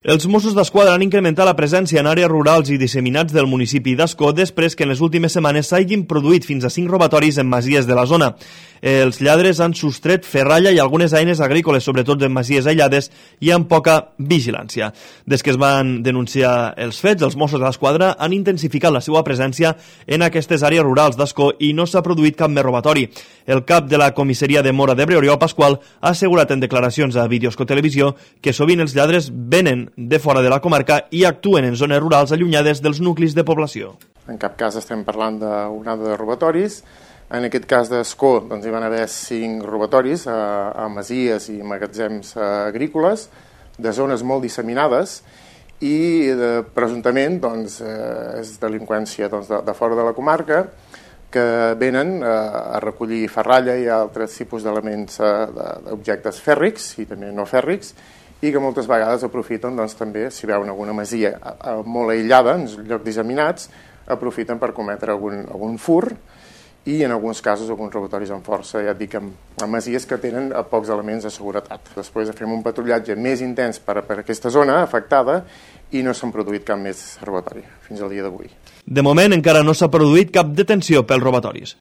Els Mossos d'Esquadra han incrementat la presència en àrees rurals i disseminats del municipi d'Ascó després que en les últimes setmanes s'hagin produït fins a 5 robatoris en masies de la zona. Els lladres han sostret ferralla i algunes eines agrícoles, sobretot en masies aïllades i amb poca vigilància. Des que es van denunciar els fets, els Mossos d'Esquadra han intensificat la seva presència en aquestes àrees rurals d'Ascó i no s'ha produït cap més robatori. El cap de la comissaria de Móra d'Ebre, Oriol Pasqual, ha assegurat en declaracions a Videosco Televisió que sovint els lladres venen de fora de la comarca i actuen en zones rurals allunyades dels nuclis de població. En cap cas estem parlant d'una onada de robatoris. En aquest cas d'Ascó hi van haver 5 robatoris a masies i magatzems agrícoles de zones molt disseminades i presumptament és delinqüència de fora de la comarca que venen a recollir ferralla i altres tipus d'elements d'objectes fèrrics i també no fèrrics i que moltes vegades aprofiten també, si veuen alguna masia molt aïllada, en llocs disseminats, aprofiten per cometre algun fur i en alguns casos alguns robatoris amb força, ja et dic, amb masies que tenen pocs elements de seguretat. Després fem un patrullatge més intens per aquesta zona afectada i no s'han produït cap més robatori fins al dia d'avui. De moment encara no s'ha produït cap detenció pels robatoris.